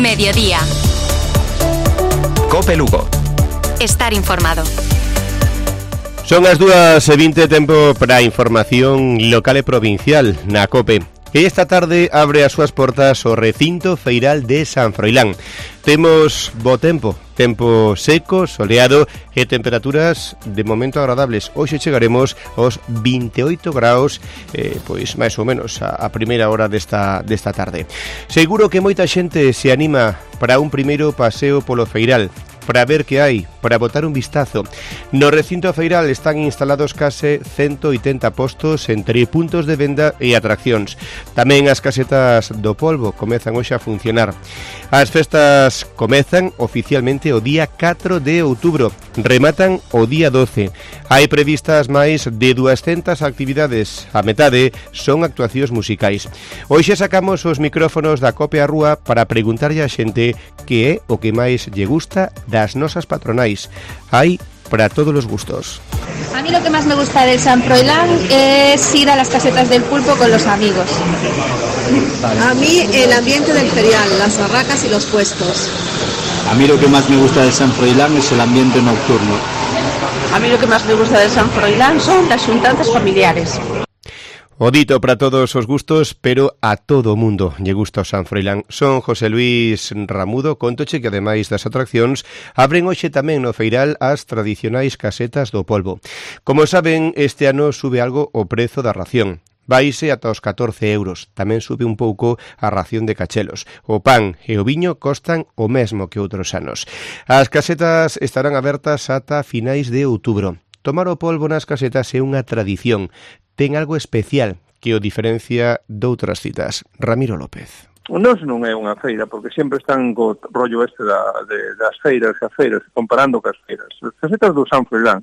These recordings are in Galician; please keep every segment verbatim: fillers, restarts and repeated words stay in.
Mediodía. Cope Lugo. Estar informado. Son as dúas e vinte, tempo para a información local e provincial na Cope. E esta tarde abre as súas portas o recinto feiral de San Froilán. Temos bo tempo, tempo seco, soleado e temperaturas de momento agradables. Hoxe chegaremos aos vinte e oito graus, eh, pois máis ou menos a, a primeira hora desta, desta tarde. Seguro que moita xente se anima para un primeiro paseo polo feiral, para ver que hai, para botar un vistazo. No recinto feiral están instalados case ciento oitenta postos entre puntos de venda e atraccións. Tamén as casetas do polvo comezan hoxe a funcionar. As festas comezan oficialmente o día catro de outubro, rematan o día doce. Hai previstas máis de duascentas actividades, a metade son actuacións musicais. Hoxe sacamos os micrófonos da Cope á Rúa para preguntarlle a xente que é o que máis lle gusta das nosas patronais. Hai para todos los gustos. A mí lo que más me gusta del San Froilán es ir a las casetas del pulpo con los amigos. A mí el ambiente del ferial, las barracas y los puestos. A mí lo que más me gusta del San Froilán es el ambiente nocturno. A mí lo que más me gusta del San Froilán son las xuntanzas familiares. O dito para todos os gustos, pero a todo o mundo lle gusta o San Froilán. Son José Luis Ramudo, contoche que ademais das atraccións abren hoxe tamén no feiral as tradicionais casetas do polvo. Como saben, este ano sube algo o prezo da ración. Vaise ata os catorce euros. Tamén sube un pouco a ración de cachelos. O pan e o viño costan o mesmo que outros anos. As casetas estarán abertas ata finais de outubro. Tomar o polvo nas casetas é unha tradición. Ten algo especial que o diferencia doutras citas. Ramiro López. Nos non é unha feira, porque sempre están co rollo este da, de, das feiras e as feiras, comparando cas feiras. As casetas do San Froilán,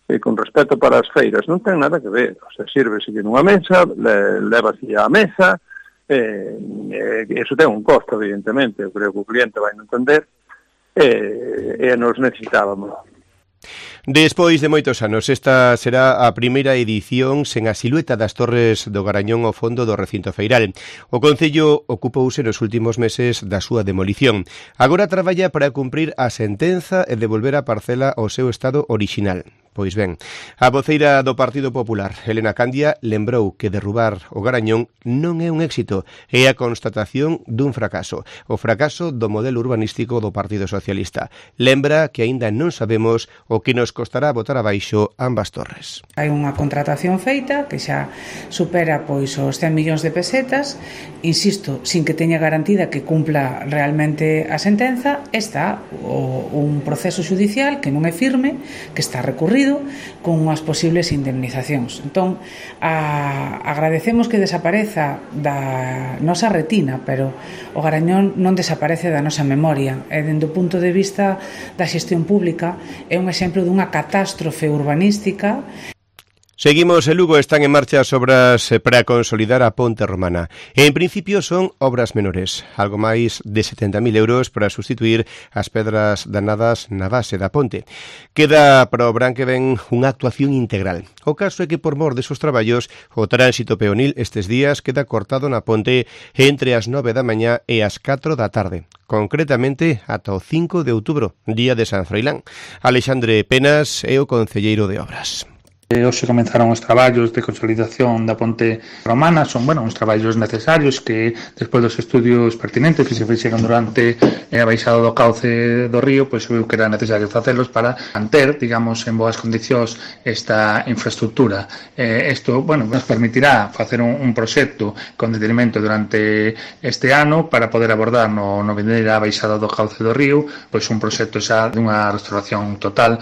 eh, con respecto para as feiras, non ten nada que ver. O sea, sírvese que nunha mesa, le, levase á mesa, eh, eh, eso ten un costo, evidentemente, eu creo que o cliente vai entender, eh, e nos necesitábamos. Despois de moitos anos, esta será a primeira edición sen a silueta das Torres do Garañón ao fondo do recinto feiral. O Concello ocupouse nos últimos meses da súa demolición. Agora traballa para cumprir a sentenza e devolver a parcela ao seu estado orixinal. Pois ben, a voceira do Partido Popular, Elena Candia, lembrou que derrubar o Garañón non é un éxito, é a constatación dun fracaso, o fracaso do modelo urbanístico do Partido Socialista. Lembra que aínda non sabemos o que nos costará botar abaixo ambas torres. Hai unha contratación feita que xa supera pois os cen millóns de pesetas, insisto, sin que teña garantida que cumpla realmente a sentenza. Está o, un proceso judicial que non é firme, que está recurrido con unhas posibles indemnizacións. Entón, a, agradecemos que desapareza da nosa retina, pero o Garañón non desaparece da nosa memoria. E dende o punto de vista da xestión pública é un exemplo dunha catástrofe urbanística. Seguimos, en Lugo están en marcha as obras para consolidar a ponte romana. En principio son obras menores, algo máis de setenta mil euros para sustituir as pedras danadas na base da ponte. Queda para o verán que ven unha actuación integral. O caso é que por mor desos traballos, o tránsito peonil estes días queda cortado na ponte entre as nove da mañá e as catro da tarde. Concretamente ata o cinco de outubro, día de San Froilán. Alexandre Penas é o concelleiro de obras. Hoxe comenzaron os traballos de consolidación da ponte romana. Son, bueno, uns traballos necesarios que, despois dos estudios pertinentes que se fixeron durante a baixada do cauce do río, pois viu que era necesario facelos para manter, digamos, en boas condicións esta infraestructura. Eh, isto, bueno, nos permitirá facer un, un proxecto con detenimento durante este ano para poder abordar no, no vindeira baixada do cauce do río, pois un proxecto xa dunha restauración total.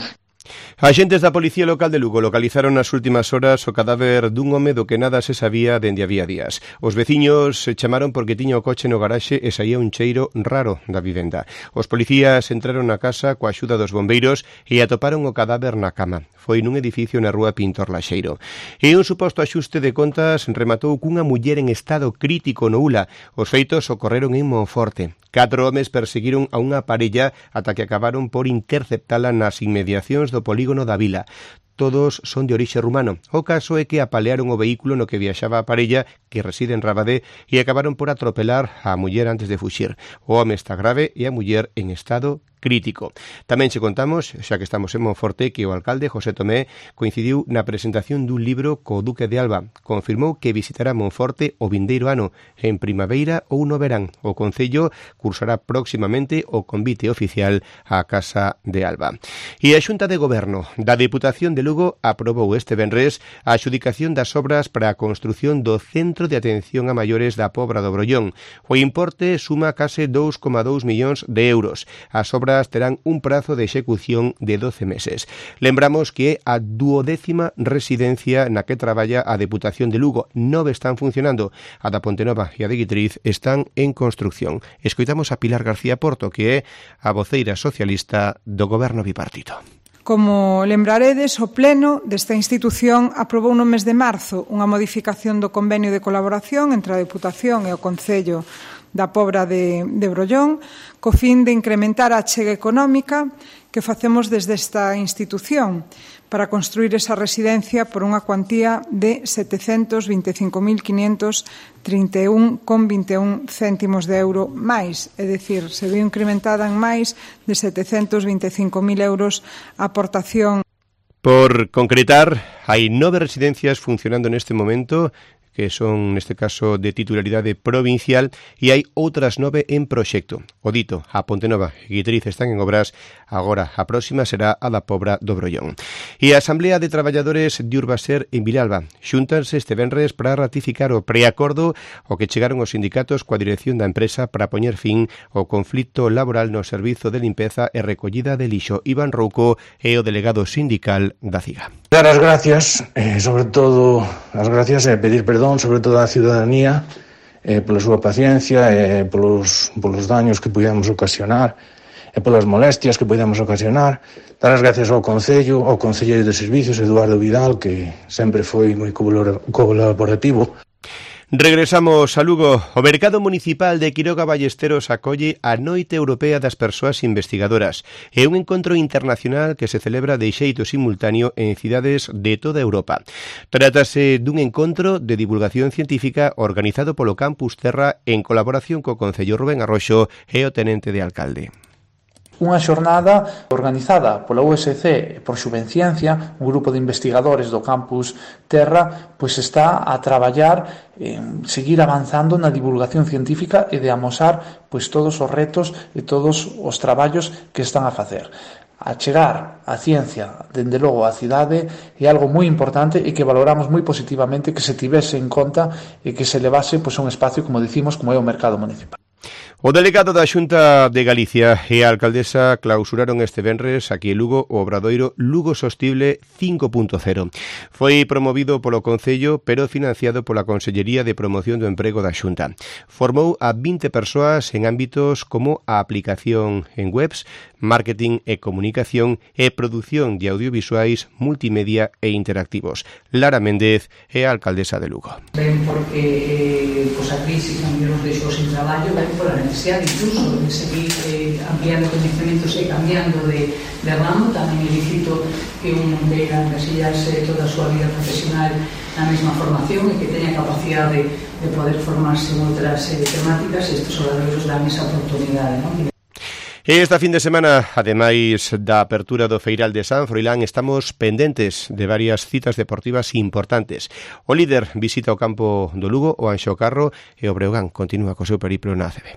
Axentes da Policía Local de Lugo localizaron nas últimas horas o cadáver dun home do que nada se sabía dende había días. Os veciños se chamaron porque tiña o coche no garaxe e saía un cheiro raro da vivenda. Os policías entraron na casa coa axuda dos bombeiros e atoparon o cadáver na cama. Foi nun edificio na rúa Pintor Laxeiro. E un suposto axuste de contas rematou cunha muller en estado crítico no Ula. Os feitos ocorreron en Monforte. Catro homes perseguiron a unha parella ata que acabaron por interceptala nas inmediacións do polígono da Vila. Todos son de orixe rumano. O caso é que apalearon o vehículo no que viaxaba a parella que reside en Rabadé, e acabaron por atropelar a muller antes de fuxir. O home está grave e a muller en estado crítico. Tamén che contamos, xa que estamos en Monforte, que o alcalde José Tomé coincidiu na presentación dun libro co Duque de Alba. Confirmou que visitará Monforte o vindeiro ano, en primavera ou no verán. O Concello cursará próximamente o convite oficial á Casa de Alba. E a Xunta de Goberno da Deputación de Lugo aprobou este venres a adxudicación das obras para a construción do Centro de Atención a Maiores da Pobra do Brollón. O importe suma case dous coma dous millóns de euros. As obras terán un prazo de execución de doce meses. Lembramos que é a duodécima residencia na que traballa a Deputación de Lugo. Nove están funcionando. A da Pontenova e a de Guitriz están en construcción. Escoitamos a Pilar García Porto, que é a voceira socialista do Goberno bipartito. Como lembraredes, o Pleno desta institución aprobou no mes de marzo unha modificación do convenio de colaboración entre a Deputación e o Concello da Pobra de, de Brollón, co fin de incrementar a achega económica que facemos desde esta institución para construir esa residencia por unha cuantía de setecentos vinte e cinco mil quinhentos trinta e un con vinte e un céntimos de euro máis, é dicir, se viu incrementada en máis de setecentos vinte e cinco mil euros a aportación. Por concretar, hai nove residencias funcionando neste momento, que son, neste caso, de titularidade provincial, e hai outras nove en proxecto. O dito, a Pontenova e Guitriz están en obras, agora a próxima será a da Pobra do Brollón. E a Asamblea de Traballadores de Urbaser en Vilalba xúntanse este venres para ratificar o preacordo o que chegaron os sindicatos coa dirección da empresa para poñer fin ao conflito laboral no servizo de limpeza e recollida de lixo. Iván Rouco é o delegado sindical da C I G A. Dar as gracias, eh, sobre todo as gracias e pedir perdón sobre todo a ciudadanía eh, pola súa paciencia e eh, polos, polos daños que pudemos ocasionar e polas molestias que pudemos ocasionar. Dar as gracias ao Concello, ao Concelleiro de Servicios, Eduardo Vidal, que sempre foi moi colaborativo. Regresamos a Lugo. O Mercado Municipal de Quiroga Ballesteros acolle a Noite Europea das Persoas Investigadoras. É un encontro internacional que se celebra de xeito simultáneo en cidades de toda Europa. Trátase dun encontro de divulgación científica organizado polo Campus Terra en colaboración co Concello. Rubén Arroxo e o tenente de alcalde. Unha xornada organizada pola U S C e por Xuvenciencia, un grupo de investigadores do Campus Terra, pois está a traballar en seguir avanzando na divulgación científica e de amosar pois todos os retos e todos os traballos que están a facer. A chegar a ciencia, dende logo a cidade, é algo moi importante e que valoramos moi positivamente que se tivese en conta e que se levase pois a un espacio, como dicimos, como é o mercado municipal. O delegado da Xunta de Galicia e a alcaldesa clausuraron este venres aquí en Lugo o obradoiro Lugo Sostible cinco punto cero. Foi promovido polo Concello, pero financiado pola Consellería de Promoción do Emprego da Xunta. Formou a vinte persoas en ámbitos como a aplicación en webs, marketing e comunicación e produción de audiovisuais, multimedia e interactivos. Lara Méndez é a alcaldesa de Lugo. Ben, porque eh, pues a crisis tamén nos deixou sin traballo, ben pola necesidade incluso de seguir eh, ampliando conhecimentos e cambiando de, de ramo. Tamén é lícito que un non queira encasillarse toda a súa vida profesional na mesma formación e que teña capacidade de poder formarse en outras eh, temáticas, e estes obradoiros dan esa oportunidade, non? Esta fin de semana, ademais da apertura do Feiral de San Froilán, estamos pendentes de varias citas deportivas importantes. O líder visita o campo do Lugo, o Anxo Carro, e o Breogán continúa co seu periplo na A C B.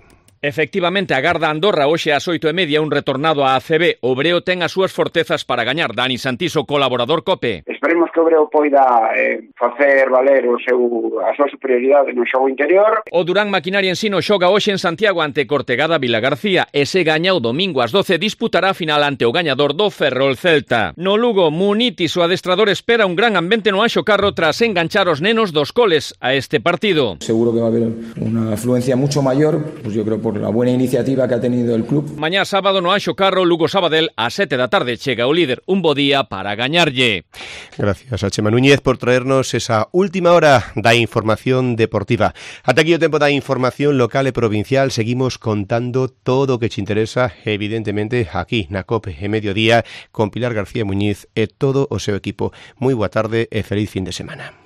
Efectivamente, agarda Andorra hoxe ás oito e media un retornado á A C B. O Breo ten as súas fortezas para gañar. Dani Santiso, colaborador COPE. Esperemos que o Breo poida eh, facer valer o seu, a súa superioridade no xogo interior. O Durán Maquinaria Ensino xoga hoxe en Santiago ante Cortegada Vila García e se gaña o domingo ás doce disputará a final ante o gañador do Ferrol Celta. No Lugo, Munitis, o adestrador, espera un gran ambiente no Anxo Carro tras enganchar os nenos dos coles a este partido. Seguro que va a haber una afluencia mucho mayor, pues yo creo por la buena iniciativa que ha tenido el club. Mañá sábado no Anxo Carro, Lugo Sabadell a sete da tarde chega o líder, un bo día para gañarlle. Gracias a Chema Núñez por traernos esa última hora da información deportiva. Ata aquí o tempo da información local e provincial. Seguimos contando todo o que te interesa, evidentemente, aquí na COPE e Mediodía con Pilar García Muñiz e todo o seu equipo. Moi boa tarde e feliz fin de semana.